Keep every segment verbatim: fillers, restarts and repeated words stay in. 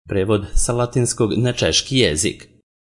Prevod sa latinskog na češki jezik.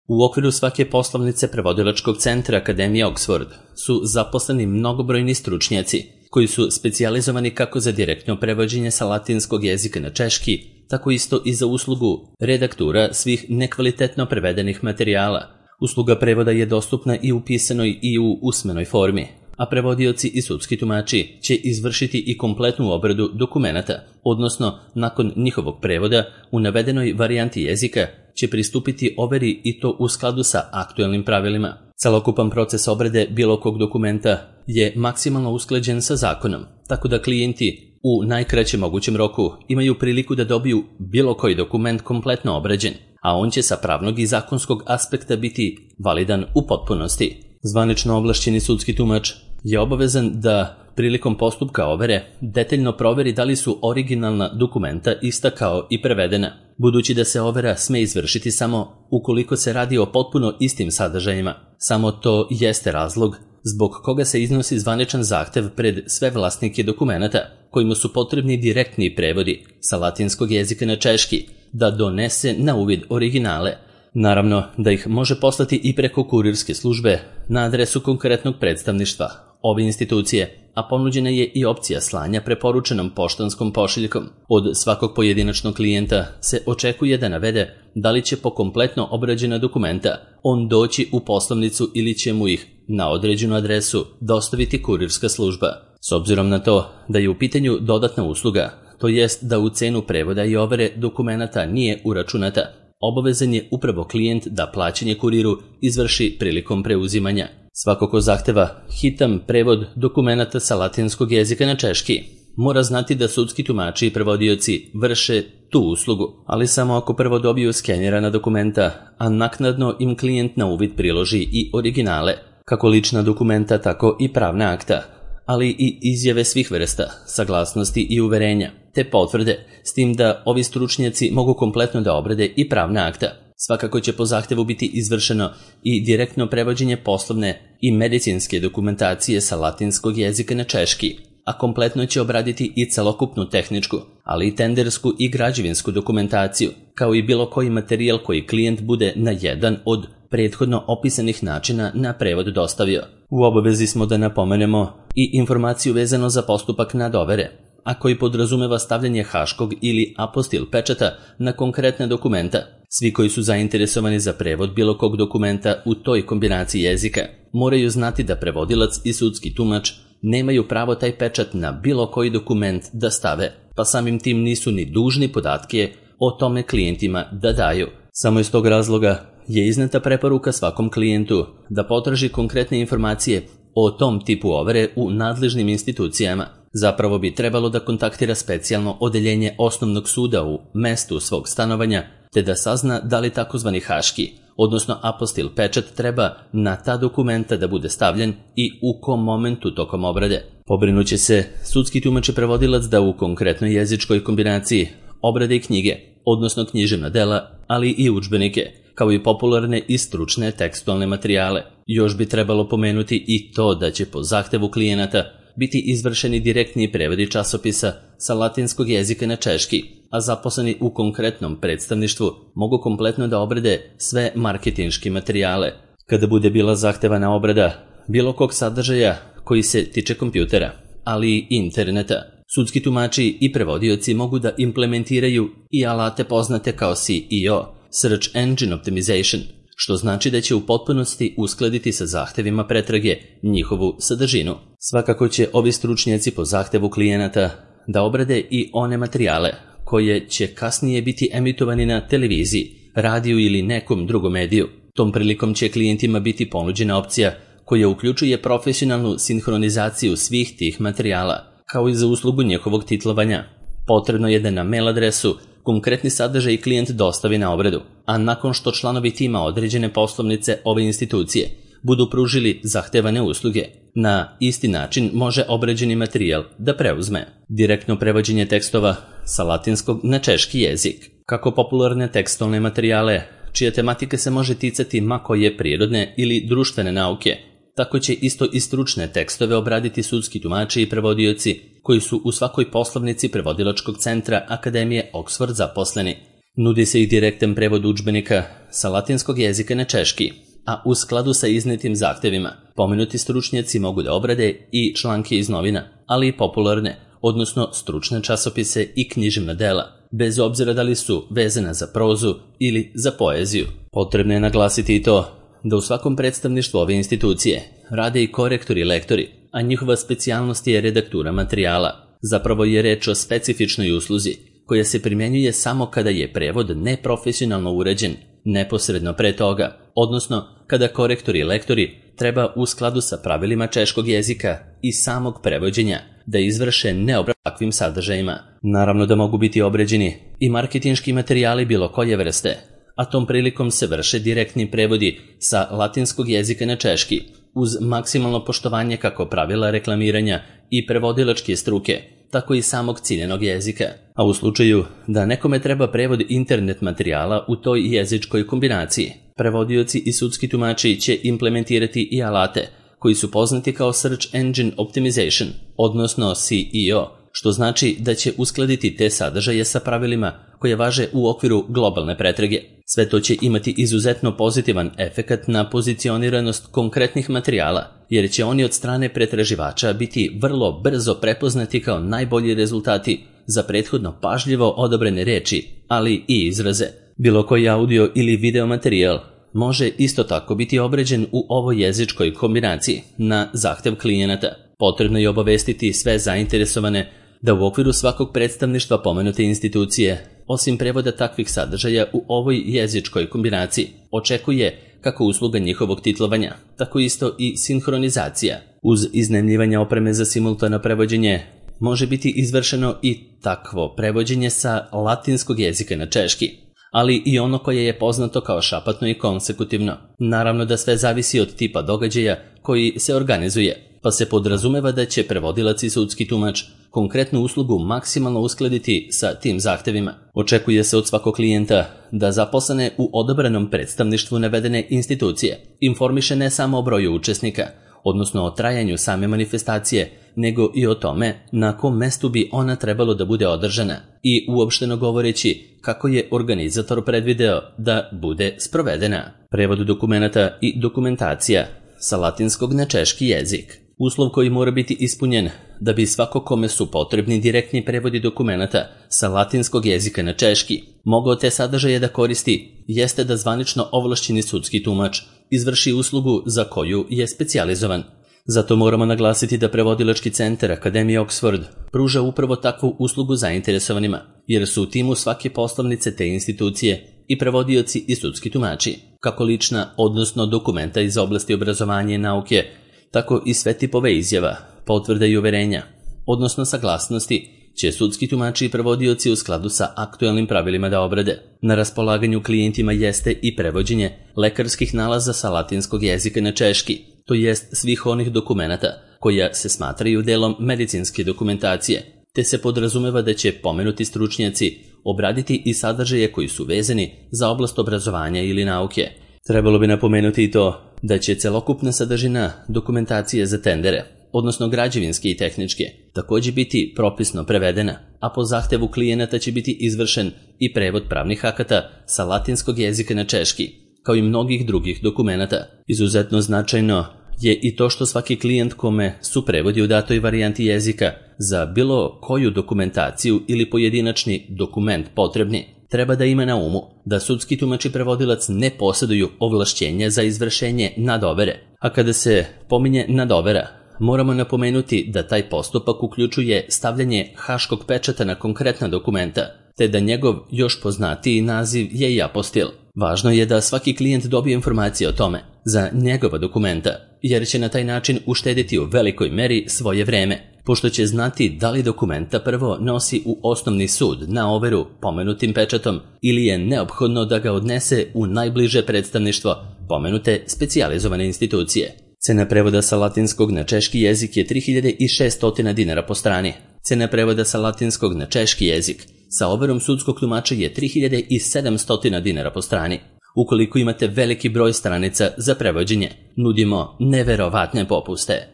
U okviru svake poslovnice prevodilačkog centra Akademije Oxford su zaposleni mnogobrojni stručnjaci koji su specijalizovani kako za direktno prevođenje sa latinskog jezika na češki, tako isto i za uslugu redaktura svih nekvalitetno prevedenih materijala. Usluga prevoda je dostupna i u pisanoj i u usmenoj formi, a prevodioci i sudski tumači će izvršiti i kompletnu obradu dokumenata, odnosno nakon njihovog prevoda u navedenoj varijanti jezika će pristupiti overi i to u skladu sa aktuelnim pravilima. Celokupan proces obrade bilo kog dokumenta je maksimalno usklađen sa zakonom, tako da klijenti u najkraćem mogućem roku imaju priliku da dobiju bilo koji dokument kompletno obrađen, a on će sa pravnog i zakonskog aspekta biti validan u potpunosti. Zvanično ovlašćeni sudski tumač je obavezan da prilikom postupka overe detaljno proveri da li su originalna dokumenta ista kao i prevedena, budući da se overa sme izvršiti samo ukoliko se radi o potpuno istim sadržajima. Samo to jeste razlog zbog koga se iznosi zvaničan zahtev pred sve vlasnike dokumenata kojima su potrebni direktni prevodi sa latinskog jezika na češki da donese na uvid originale. Naravno da ih može poslati i preko kurirske službe na adresu konkretnog predstavništva ove institucije, a ponuđena je i opcija slanja preporučenom poštanskom pošiljkom. Od svakog pojedinačnog klijenta se očekuje da navede da li će po kompletno obrađena dokumenta on doći u poslovnicu ili će mu ih na određenu adresu dostaviti kurirska služba. S obzirom na to da je u pitanju dodatna usluga, to jest da u cenu prevoda i overe dokumenata nije uračunata, obavezan je upravo klijent da plaćanje kuriru izvrši prilikom preuzimanja. Svako ko zahteva hitan prevod dokumenata sa latinskog jezika na češki mora znati da sudski tumači i prevodioci vrše tu uslugu, ali samo ako prvo dobiju skenirana dokumenta, a naknadno im klijent na uvid priloži i originale, kako lična dokumenta, tako i pravna akta, ali i izjave svih vrsta, saglasnosti i uverenja, te potvrde, s tim da ovi stručnjaci mogu kompletno da obrade i pravna akta. Svakako će po zahtevu biti izvršeno i direktno prevođenje poslovne i medicinske dokumentacije sa latinskog jezika na češki, a kompletno će obraditi i celokupnu tehničku, ali i tendersku i građevinsku dokumentaciju, kao i bilo koji materijal koji klijent bude na jedan od prethodno opisanih načina na prevod dostavio. U obavezi smo da napomenemo i informaciju vezano za postupak nadovere, a koji podrazumeva stavljanje haškog ili apostil pečata na konkretne dokumenta. Svi koji su zainteresovani za prevod bilo kog dokumenta u toj kombinaciji jezika moraju znati da prevodilac i sudski tumač nemaju pravo taj pečat na bilo koji dokument da stave, pa samim tim nisu ni dužni podatke o tome klijentima da daju. Samo iz tog razloga je izneta preporuka svakom klijentu da potraži konkretne informacije o tom tipu overe u nadležnim institucijama. Zapravo bi trebalo da kontaktira specijalno odeljenje osnovnog suda u mestu svog stanovanja, te da sazna da li takozvani haški, odnosno apostil pečat treba na ta dokumenta da bude stavljen i u kom momentu tokom obrade. Pobrinuće se sudski tumač i prevodilac da u konkretnoj jezičkoj kombinaciji obrade i knjige, odnosno književna dela, ali i udžbenike, kao i popularne i stručne tekstualne materijale. Još bi trebalo pomenuti i to da će po zahtevu klijenata biti izvršeni direktni prevodi časopisa sa latinskog jezika na češki, a zaposleni u konkretnom predstavništvu mogu kompletno da obrade sve marketinški materijale. Kada bude bila zahtevana obrada bilo kog sadržaja koji se tiče kompjutera, ali i interneta, sudski tumači i prevodioci mogu da implementiraju i alate poznate kao S E O, Search Engine Optimization, što znači da će u potpunosti uskladiti sa zahtevima pretrage njihovu sadržinu. Svakako će ovi stručnjaci po zahtevu klijenata da obrade i one materijale koje će kasnije biti emitovani na televiziji, radiju ili nekom drugom mediju. Tom prilikom će klijentima biti ponuđena opcija koja uključuje profesionalnu sinhronizaciju svih tih materijala, kao i za uslugu njihovog titlovanja. Potrebno je da na mail adresu konkretni sadržaj klijent dostavi na obradu, a nakon što članovi tima određene poslovnice ove institucije budu pružili zahtevane usluge, na isti način može obrađeni materijal da preuzme. Direktno prevođenje tekstova sa latinskog na češki jezik. Kako popularne tekstualne materijale, čija tematika se može ticati ma koje prirodne ili društvene nauke, tako će isto i stručne tekstove obraditi sudski tumači i prevodioci koji su u svakoj poslovnici prevodilačkog centra Akademije Oxford zaposleni. Nudi se i direktan prevod udžbenika sa latinskog jezika na češki, a u skladu sa iznetim zahtevima pomenuti stručnjaci mogu da obrade i članke iz novina, ali i popularne, odnosno stručne časopise i književna dela, bez obzira da li su vezana za prozu ili za poeziju. Potrebno je naglasiti i to da u svakom predstavništvu ove institucije rade i korektori i lektori, a njihova specijalnost je redaktura materijala. Zapravo je reč o specifičnoj usluzi koja se primjenjuje samo kada je prevod neprofesionalno uređen neposredno pre toga, odnosno kada korektori i lektori treba u skladu sa pravilima češkog jezika i samog prevođenja da izvrše neobradu takvim sadržajima. Naravno da mogu biti obrađeni i marketinški materijali bilo koje vrste, a tom prilikom se vrše direktni prevodi sa latinskog jezika na češki, uz maksimalno poštovanje kako pravila reklamiranja i prevodilačke struke, tako i samog ciljenog jezika. A u slučaju da nekome treba prevod internet materijala u toj jezičkoj kombinaciji, prevodioci i sudski tumači će implementirati i alate koji su poznati kao Search Engine Optimization, odnosno S E O, što znači da će uskladiti te sadržaje sa pravilima koje važe u okviru globalne pretrage. Sve to će imati izuzetno pozitivan efekat na pozicioniranost konkretnih materijala, jer će oni od strane pretraživača biti vrlo brzo prepoznati kao najbolji rezultati za prethodno pažljivo odabrane reči, ali i izraze. Bilo koji audio ili video materijal može isto tako biti obrađen u ovoj jezičkoj kombinaciji na zahtev klijenata. Potrebno je obavestiti sve zainteresovane da u okviru svakog predstavništva pomenute institucije, osim prevoda takvih sadržaja u ovoj jezičkoj kombinaciji, očekuje kako usluga njihovog titlovanja, tako isto i sinhronizacija. Uz iznajmljivanje opreme za simultano prevođenje može biti izvršeno i takvo prevođenje sa latinskog jezika na češki, ali i ono koje je poznato kao šapatno i konsekutivno. Naravno da sve zavisi od tipa događaja koji se organizuje, pa se podrazumeva da će prevodilac i sudski tumač konkretnu uslugu maksimalno uskladiti sa tim zahtevima. Očekuje se od svakog klijenta da zaposlene u odabranom predstavništvu navedene institucije informiše ne samo o broju učesnika, odnosno o trajanju same manifestacije, nego i o tome na kom mestu bi ona trebalo da bude održana i uopšteno govoreći kako je organizator predvideo da bude sprovedena. Prevod dokumenata i dokumentacija sa latinskog na češki jezik. Uslov koji mora biti ispunjen da bi svako kome su potrebni direktni prevodi dokumenata sa latinskog jezika na češki mogao te sadržaje da koristi, jeste da zvanično ovlašćeni sudski tumač izvrši uslugu za koju je specijalizovan. Zato moramo naglasiti da prevodilački centar Akademije Oxford pruža upravo takvu uslugu zainteresovanima, jer su u timu svake poslovnice te institucije i prevodioci i sudski tumači, kako lična, odnosno dokumenta iz oblasti obrazovanja i nauke, tako i sve tipove izjava, potvrda i uverenja, odnosno saglasnosti, će sudski tumači i prevodioci u skladu sa aktuelnim pravilima da obrade. Na raspolaganju klijentima jeste i prevođenje lekarskih nalaza sa latinskog jezika na češki, to jest svih onih dokumenata koja se smatraju delom medicinske dokumentacije, te se podrazumeva da će pomenuti stručnjaci obraditi i sadržaje koji su vezani za oblast obrazovanja ili nauke. Trebalo bi napomenuti i to da će celokupna sadržina dokumentacije za tendere, odnosno građevinske i tehničke, također biti propisno prevedena, a po zahtevu klijenata će biti izvršen i prevod pravnih akata sa latinskog jezika na češki, kao i mnogih drugih dokumenata. Izuzetno značajno je i to što svaki klijent kome su prevodi u datoj varijanti jezika za bilo koju dokumentaciju ili pojedinačni dokument potrebni, treba da ima na umu da sudski tumač i prevodilac ne posjeduju ovlašćenje za izvršenje nadovere. A kada se pominje nadovera, moramo napomenuti da taj postupak uključuje stavljanje haškog pečata na konkretna dokumenta, te da njegov još poznatiji naziv je i apostil. Važno je da svaki klijent dobije informacije o tome za njegova dokumenta, jer će na taj način uštediti u velikoj meri svoje vreme, pošto će znati da li dokumenta prvo nosi u osnovni sud na overu pomenutim pečatom ili je neophodno da ga odnese u najbliže predstavništvo pomenute specijalizovane institucije. Cena prevoda sa latinskog na češki jezik je tri hiljade šesto dinara po strani. Cena prevoda sa latinskog na češki jezik sa overom sudskog tumača je tri hiljade sedamsto dinara po strani. Ukoliko imate veliki broj stranica za prevođenje, nudimo neverovatne popuste.